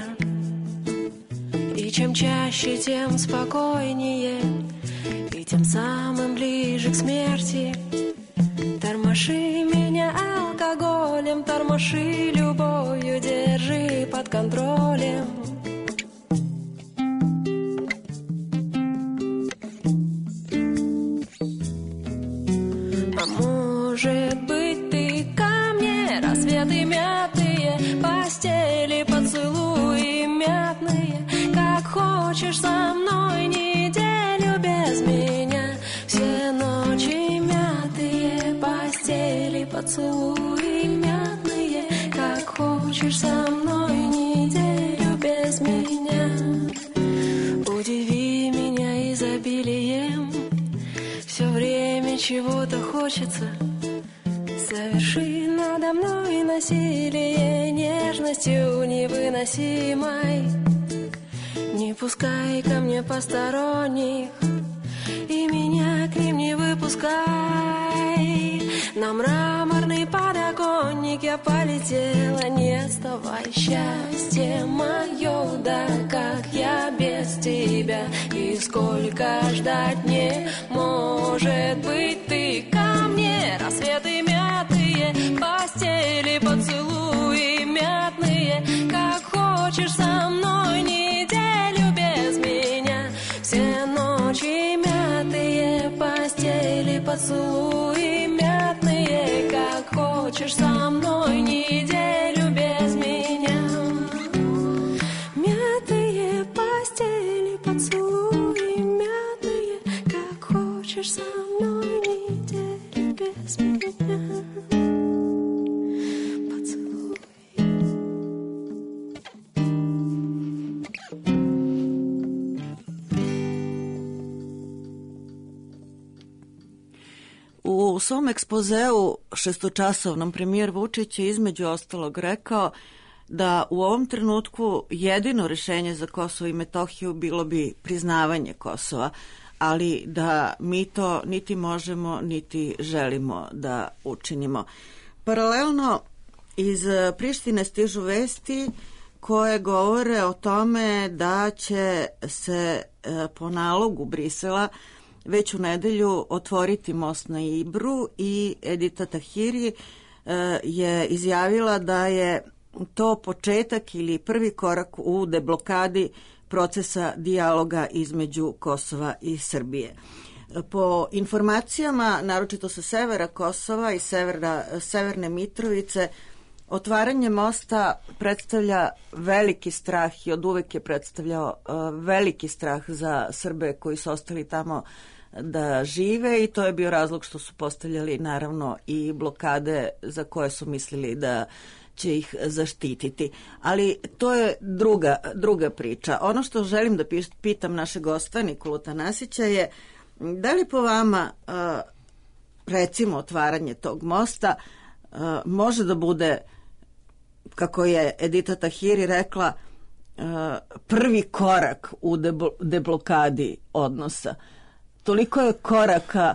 И чем чаще, тем спокойнее, и тем самым ближе к смерти. Тормоши меня алкоголем, тормоши любовью, держи под контролем. Может быть, ты ко мне, рассветы мятые, постели, поцелуи мятные, как хочешь со мной неделю без меня. Все ночи мятые, постели, поцелуи мятные, как хочешь со мной неделю без меня. Удиви меня изобилием, все время чего-то хочется. Соверши надо мной насилие нежностью невыносимой. Не пускай ко мне посторонних, и меня к ним не выпускай. На мраморный подоконник я полетела, не отставай. Счастье мое, да как я без тебя, и сколько ждать мне. Может быть, ты ко мне, рассветы мятые, постели, поцелуи мятные, как хочешь со мной неделю без меня. Все ночи мятые, постели, поцелуи мятные, как хочешь со мной неделю без меня. Мятые постели, поцелуи мятные, как хочешь со мной неделю без меня. Поцелуй. U svom ekspozeu šestočasovnom premijer Vučić je između ostalog rekao da u ovom trenutku jedino rješenje za Kosovo i Metohiju bilo bi priznavanje Kosova, ali da mi to niti možemo niti želimo da učinimo. Paralelno iz Prištine stižu vesti koje govore o tome da će se po nalogu Brisela već u nedelju otvoriti most na Ibru i Edita Tahiri je izjavila da je to početak ili prvi korak u deblokadi procesa dijaloga između Kosova i Srbije. Po informacijama, naročito sa severa Kosova i severne Mitrovice, otvaranje mosta predstavlja veliki strah i od uvek je predstavljao veliki strah za Srbe koji su ostali tamo da žive i to je bio razlog što su postavljali naravno i blokade za koje su mislili da će ih zaštititi. Ali to je druga priča. Ono što želim da pitam našeg gosta Nikolu Tanasića je da li po vama recimo otvaranje tog mosta može da bude, kako je Edita Tahiri rekla, prvi korak u deblokadi odnosa. Toliko je koraka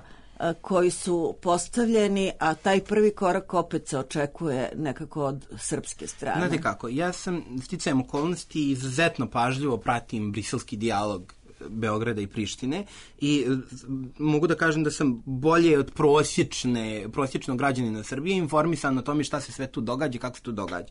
koji su postavljeni, a taj prvi korak opet se očekuje nekako od srpske strane. Znate kako, ja sam sticajem okolnosti izuzetno pažljivo pratim briselski dijalog Beograda i Prištine i mogu da kažem da sam bolje od prosječnog građanina Srbije informisan o tome šta se sve tu događa i kako se tu događa.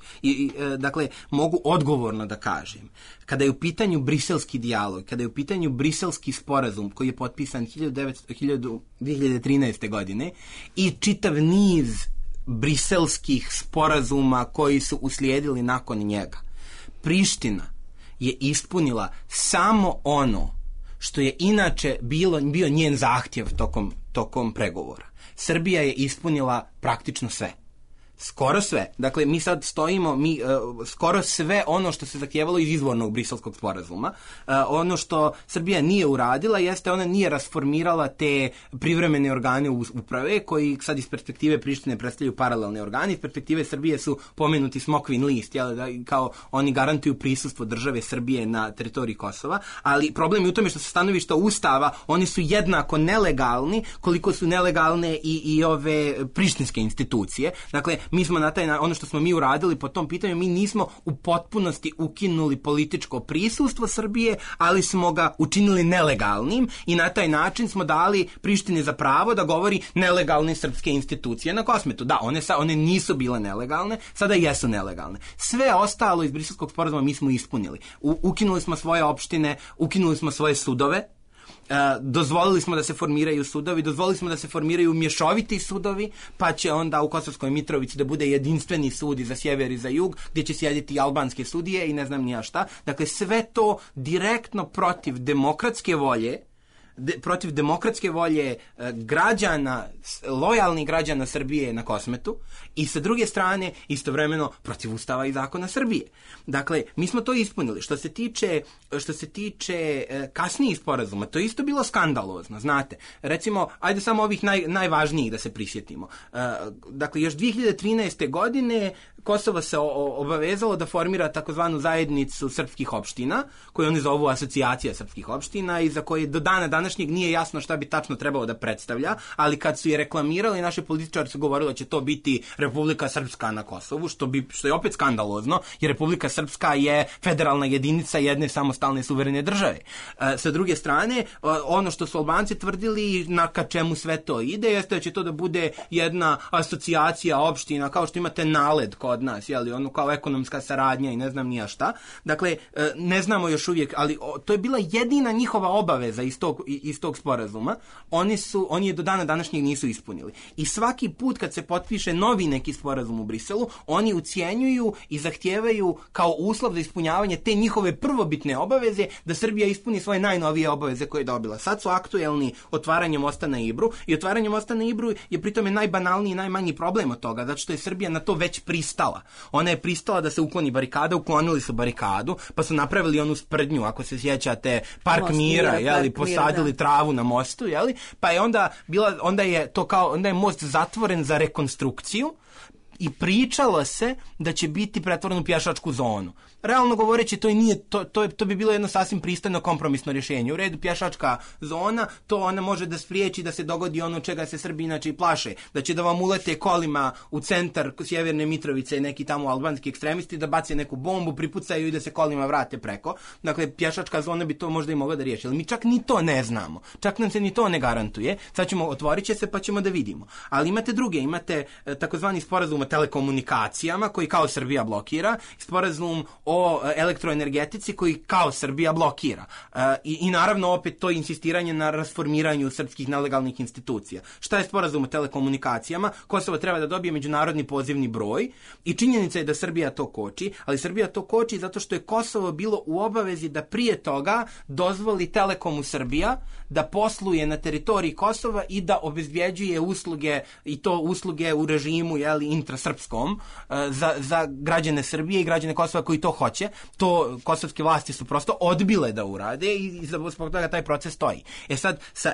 Dakle, mogu odgovorno da kažem, kada je u pitanju briselski dijalog, kada je u pitanju briselski sporazum koji je potpisan 2013. godine i čitav niz briselskih sporazuma koji su uslijedili nakon njega, Priština je ispunila samo ono što je inače bio njen zahtjev tokom pregovora. Srbija je ispunila praktično sve. Skoro sve. Dakle, mi sad stojimo, skoro sve ono što se zahtijevalo iz izvornog briselskog sporazuma. Ono što Srbija nije uradila jeste ona nije rasformirala te privremene organe uprave koji sad iz perspektive Prištine predstavljaju paralelne organe. Iz perspektive Srbije su pomenuti smokvin list, kao oni garantuju prisustvo države Srbije na teritoriji Kosova, ali problem je u tome što se stanovišta Ustava, oni su jednako nelegalni koliko su nelegalne i ove prištinske institucije. Dakle, mi smo ono što smo mi uradili po tom pitanju, mi nismo u potpunosti ukinuli političko prisustvo Srbije, ali smo ga učinili nelegalnim i na taj način smo dali Prištini za pravo da govori nelegalne srpske institucije na Kosmetu. Da, one nisu bile nelegalne, sada jesu nelegalne. Sve ostalo iz briselskog sporazuma mi smo ispunili. Ukinuli smo svoje opštine, ukinuli smo svoje sudove, dozvolili smo da se formiraju sudovi, dozvolili smo da se formiraju mješoviti sudovi, pa će onda u Kosovskoj Mitrovici da bude jedinstveni sud i za sjever i za jug, gdje će sjediti i albanske sudije i ne znam ni ja šta. Dakle, sve to direktno protiv demokratske volje građana, lojalnih građana Srbije na Kosmetu i sa druge strane istovremeno protiv Ustava i zakona Srbije. Dakle, mi smo to ispunili. Što se tiče kasnijih sporazuma, to je isto bilo skandalozno, znate. Recimo, ajde samo ovih najvažnijih da se prisjetimo. Dakle, još 2013. godine Kosovo se obavezalo da formira takozvanu zajednicu srpskih opština, koju oni zovu asocijacija srpskih opština i za koje do dana današnjeg nije jasno šta bi tačno trebalo da predstavlja, ali kad su je reklamirali, naši političari su govorili da će to biti Republika Srpska na Kosovu, što je opet skandalozno, jer Republika Srpska je federalna jedinica jedne samostalne suverene države. Sa druge strane, ono što su Albanci tvrdili ka čemu sve to ide, jeste da će to da bude jedna asocijacija opština, kao što imate NALED kod nas, ono kao ekonomska saradnja i ne znam nija šta. Dakle, ne znamo još uvijek, ali to je bila jedina njihova obaveza iz tog sporazuma. Oni je do dana današnjeg nisu ispunili. I svaki put kad se potpiše novi neki sporazum u Briselu, oni ucijenjuju i zahtijevaju kao uslov za ispunjavanje te njihove prvobitne obaveze da Srbija ispuni svoje najnovije obaveze koje je dobila. Sad su aktuelni otvaranjem mosta na Ibru i otvaranjem mosta na Ibru je pritome najbanalniji i najmanji problem od toga, zato što je Srbija na to već pristala. Ona je pristala da se ukloni barikada, uklonili su barikadu, pa su napravili onu sprdnju, ako se sjećate, park mira, posadili travu na mostu, pa je onda je most zatvoren za rekonstrukciju i pričalo se da će biti pretvoren u pješačku zonu. Realno govoreći, to bi bilo jedno sasvim pristojno kompromisno rješenje. U redu, pješačka zona, to ona može da spriječi da se dogodi ono čega se Srbi inače i plaše, da će da vam ulete kolima u centar sjeverne Mitrovice neki tamo albanski ekstremisti, da bace neku bombu, pripucaju i da se kolima vrate preko. Dakle, pješačka zona bi to možda i mogla da riješi, ali mi čak ni to ne znamo. Čak nam se ni to ne garantuje. Sad otvorit će se pa ćemo da vidimo. Ali imate takozvani sporazum o telekomunikacijama koji kao Srbija blokira, sporazum o elektroenergetici koji kao Srbija blokira. I naravno opet to insistiranje na rasformiranju srpskih nelegalnih institucija. Šta je sporazum o telekomunikacijama? Kosovo treba da dobije međunarodni pozivni broj i činjenica je da Srbija to koči, ali Srbija to koči zato što je Kosovo bilo u obavezi da prije toga dozvoli Telekomu Srbija da posluje na teritoriji Kosova i da obezbjeđuje usluge, i to usluge u režimu intrasrpskom za građane Srbije i građane Kosova koji to hoće. To kosovske vlasti su prosto odbile da urade i zbog toga taj proces stoji. Sad, sa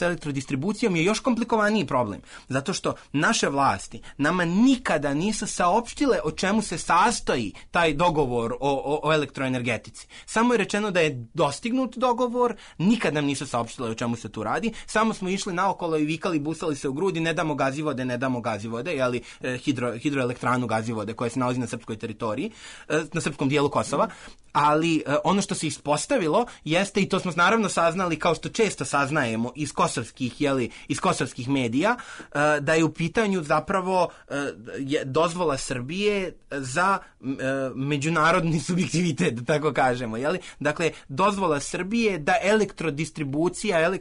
elektrodistribucijom je još komplikovaniji problem, zato što naše vlasti nama nikada nisu saopštile o čemu se sastoji taj dogovor o elektroenergetici. Samo je rečeno da je dostignut dogovor, nikad nam nisu saopštile o čemu se tu radi, samo smo išli naokolo i vikali, busali se u grudi, ne damo gazivode, hidroelektranu Gazivode koja se nalazi na srpskoj teritoriji, na srpskom dijelu Kosova, ali ono što se ispostavilo jeste, i to smo naravno saznali kao što često saznajemo iz kosovskih medija, da je u pitanju zapravo dozvola Srbije za međunarodni subjektivitet, da tako kažemo. Dakle, dozvola Srbije da elektrodistribucija,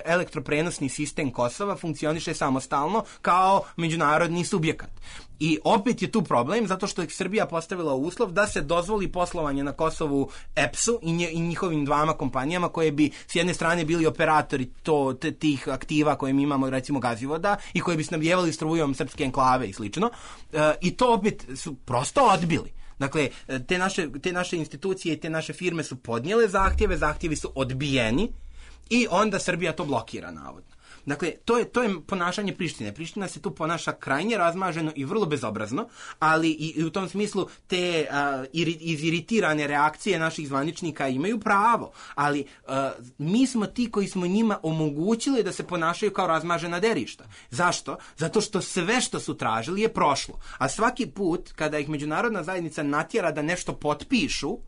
elektroprenosni sistem Kosova funkcioniše samostalno kao međunarodni subjekat. I opet je tu problem, zato što je Srbija postavila uslov da se dozvoli poslovanje na Kosovu EPS-u i njihovim dvama kompanijama koje bi s jedne strane bili operatori tih aktiva koje mi imamo, recimo Gazivoda, i koje bi snabdjevali strujom srpske enklave i slično. I to opet su prosto odbili. Dakle, te naše institucije i te naše firme su podnijele zahtjevi su odbijeni i onda Srbija to blokira, navodno. Dakle, to je ponašanje Prištine. Priština se tu ponaša krajnje razmaženo i vrlo bezobrazno, ali i u tom smislu te iziritirane reakcije naših zvaničnika imaju pravo, ali mi smo ti koji smo njima omogućili da se ponašaju kao razmažena derišta. Zašto? Zato što sve što su tražili je prošlo. A svaki put kada ih međunarodna zajednica natjera da nešto potpišu,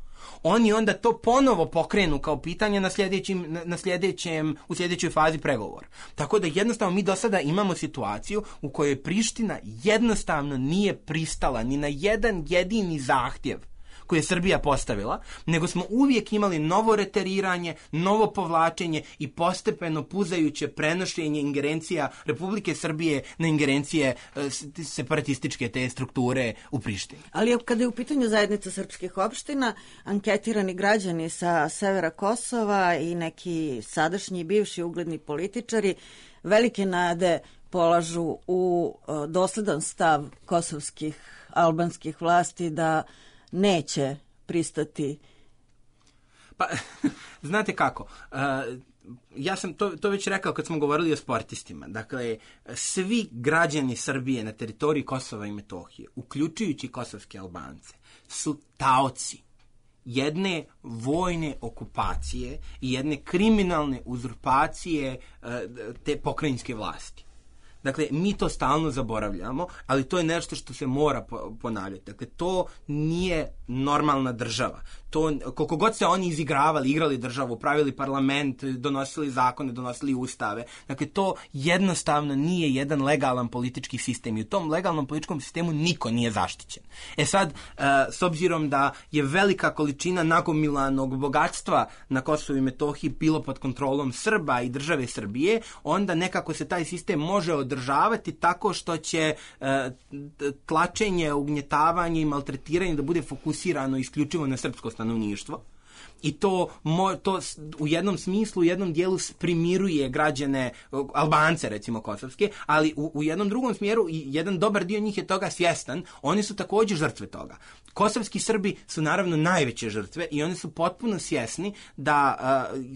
oni onda to ponovo pokrenu kao pitanje u sljedećoj fazi pregovora. Tako da jednostavno mi do sada imamo situaciju u kojoj Priština jednostavno nije pristala ni na jedan jedini zahtjev koje je Srbija postavila, nego smo uvijek imali novo reteriranje, novo povlačenje i postepeno puzajuće prenošenje ingerencija Republike Srbije na ingerencije separatističke te strukture u Prištini. Ali kada je u pitanju zajednica srpskih opština, anketirani građani sa severa Kosova i neki sadašnji i bivši ugledni političari velike nade polažu u dosledan stav kosovskih albanskih vlasti da neće pristati. Pa, znate kako, ja sam to već rekao kad smo govorili o sportistima. Dakle, svi građani Srbije na teritoriji Kosova i Metohije, uključujući kosovske Albance, su taoci jedne vojne okupacije i jedne kriminalne uzurpacije te pokrajinske vlasti. Dakle, mi to stalno zaboravljamo, ali to je nešto što se mora ponavljati. Dakle, to nije normalna država. Koliko god se oni igrali državu, pravili parlament, donosili zakone, donosili ustave, dakle, to jednostavno nije jedan legalan politički sistem i u tom legalnom političkom sistemu niko nije zaštićen. Sad, s obzirom da je velika količina nagomilanog bogatstva na Kosovu i Metohiji bilo pod kontrolom Srba i države Srbije, onda nekako se taj sistem može održavati tako što će tlačenje, ugnjetavanje i maltretiranje da bude fokusirano isključivo na srpsko stanovništvo. I to u jednom smislu, u jednom dijelu primiruje građane, Albance recimo kosovske, ali u jednom drugom smjeru i jedan dobar dio njih je toga svjestan, oni su također žrtve toga. Kosovski Srbi su naravno najveće žrtve i oni su potpuno svjesni da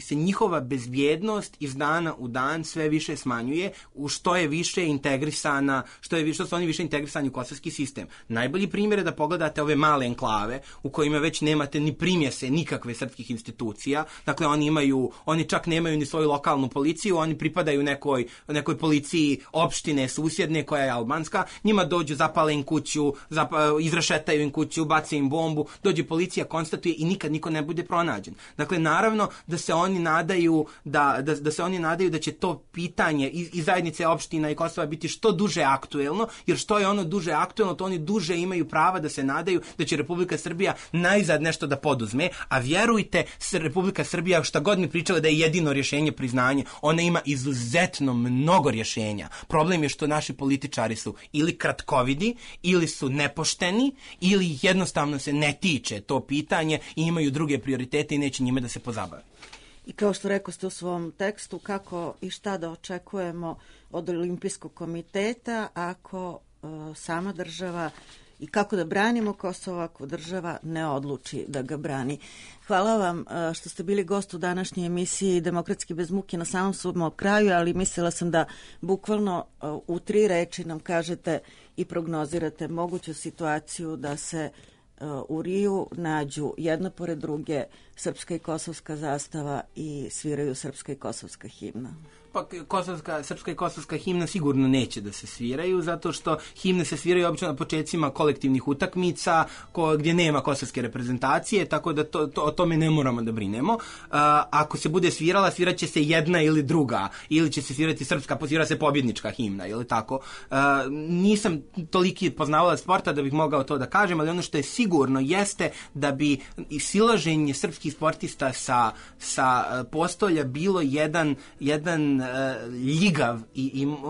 se njihova bezbjednost iz dana u dan sve više smanjuje, u što je više integrisana, što su oni više integrisani u kosovski sistem. Najbolji primjer je da pogledate ove male enklave u kojima već nemate ni primjese nikakve srpskih institucija. Dakle, oni čak nemaju ni svoju lokalnu policiju, oni pripadaju nekoj policiji opštine susjedne koja je albanska, njima dođu, zapale im kuću, izrešetaju im kuću, bace im bombu, dođe policija, konstatuje i nikad niko ne bude pronađen. Dakle, naravno da se oni nadaju da će to pitanje i zajednice opština i Kosova biti što duže aktuelno, jer što je ono duže aktuelno, to oni duže imaju prava da se nadaju da će Republika Srbija najzad nešto da poduzme, a vjerujte, Republika Srbija, šta god mi pričala da je jedino rješenje priznanje, ona ima izuzetno mnogo rješenja. Problem je što naši političari su ili kratkovidi, ili su nepošteni, ili jednostavno se ne tiče to pitanje i imaju druge prioritete i neće njime da se pozabave. I kao što rekoste u svom tekstu, kako i šta da očekujemo od Olimpijskog komiteta ako sama država i kako da branimo Kosovo ako država ne odluči da ga brani. Hvala vam što ste bili gost u današnjoj emisiji Demokratski bez muke. Na samom smo kraju, ali mislila sam da bukvalno u 3 reči nam kažete i prognozirate moguću situaciju da se u Riju nađu jedna pored druge srpska i kosovska zastava i sviraju srpska i kosovska himna. Pa srpska i kosovska himna sigurno neće da se sviraju, zato što himne se sviraju obično na početcima kolektivnih utakmica gdje nema kosovske reprezentacije, tako da o tome ne moramo da brinemo. Ako se bude svirala, sviraće se jedna ili druga, ili će se svirati srpska, posvira se pobjednička himna, ili tako. Nisam toliki poznavalac sporta da bih mogao to da kažem, ali ono što je sigurno jeste da bi silaženje srpskih sportista sa postolja bilo jedan ljigav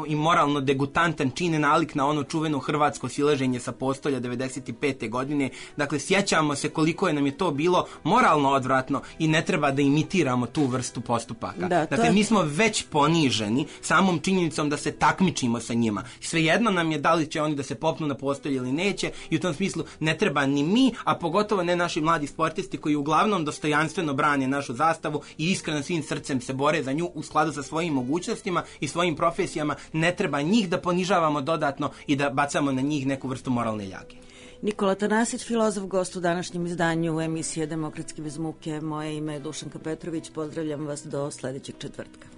i moralno degutantan čin nalik na ono čuveno hrvatsko silaženje sa postolja 95. godine. Dakle, sjećamo se koliko je nam je to bilo moralno odvratno i ne treba da imitiramo tu vrstu postupaka. Dakle, mi smo već poniženi samom činjenicom da se takmičimo sa njima. Svejedno nam je da li će oni da se popnu na postolje ili neće, i u tom smislu ne treba ni mi, a pogotovo ne naši mladi sportisti koji uglavnom dostojanstveno brane našu zastavu i iskreno svim srcem se bore za nju u skladu sa svojim mogućnostima i svojim profesijama. Ne treba njih da ponižavamo dodatno i da bacamo na njih neku vrstu moralne ljage. Nikola Tanasić, filozof, gost u današnjem izdanju emisije Demokratski bez muke. Moje ime je Dušanka Petrović. Pozdravljam vas do sljedećeg četvrtka.